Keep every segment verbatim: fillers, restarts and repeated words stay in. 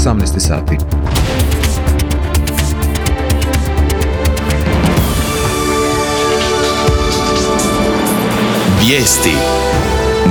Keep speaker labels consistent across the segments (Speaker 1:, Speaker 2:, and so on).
Speaker 1: osamnaest sati.
Speaker 2: Vijesti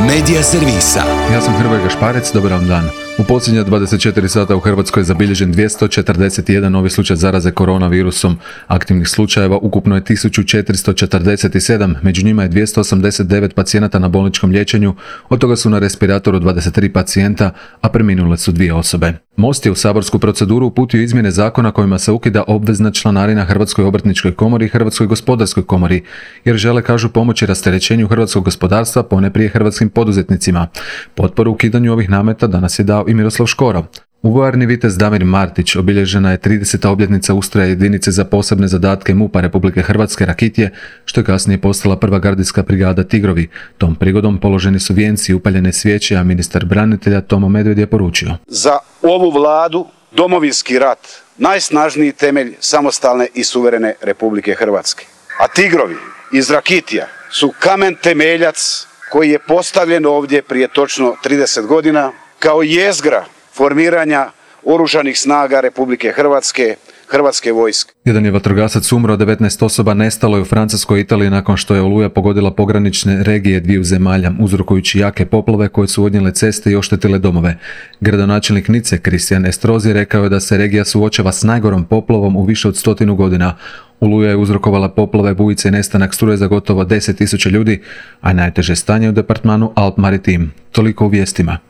Speaker 2: Medija servisa.
Speaker 1: Ja sam Hrvoje Gašparec, dobar vam dan. U posljednja dvadeset četiri sata u Hrvatskoj je zabilježen dvjesto četrdeset jedan novi slučaj zaraze koronavirusom. Aktivnih slučajeva ukupno je tisuću četiristo četrdeset sedam, među njima je dvjesto osamdeset devet pacijenata na bolničkom liječenju, od toga su na respiratoru dvadeset tri pacijenta, a preminule su dvije osobe. Most je u saborsku proceduru uputio izmjene zakona kojima se ukida obvezna članarina Hrvatskoj obrtničkoj komori i Hrvatskoj gospodarskoj komori, jer žele, kažu, pomoći rasterećenju hrvatskog gospodarstva, poneprije hrvatskim poduzetnicima. Potporu ukidanju ovih nameta danas je dao i Miroslav Škoro. U vojarni Vitez Damir Martić obilježena je trideseta obljetnica ustroja jedinice za posebne zadatke MUP-a Republike Hrvatske Rakitje, što je kasnije postala prva gardijska brigada Tigrovi. Tom prigodom položeni su vijenci i upaljene svijeće, a ministar branitelja Tomo Medved je poručio:
Speaker 3: za ovu vladu Domovinski rat najsnažniji temelj samostalne i suverene Republike Hrvatske. A Tigrovi iz Rakitija su kamen temeljac koji je postavljen ovdje prije točno trideset godina kao jezgra formiranja oružanih snaga Republike Hrvatske, Hrvatske vojske.
Speaker 1: Jedan je vatrogasac umro, devetnaest osoba nestalo je u Francuskoj i Italiji nakon što je oluja pogodila pogranične regije dviju zemalja, uzrokujući jake poplave koje su odnijele ceste i oštetile domove. Gradonačelnik Nice, Kristijan Estrozi, rekao je da se regija suočava s najgorom poplavom u više od stotinu godina. Oluja je uzrokovala poplave, bujice i nestanak struje za gotovo deset tisuća ljudi, a najteže stanje u departmanu Alp Maritim. Toliko u vijestima.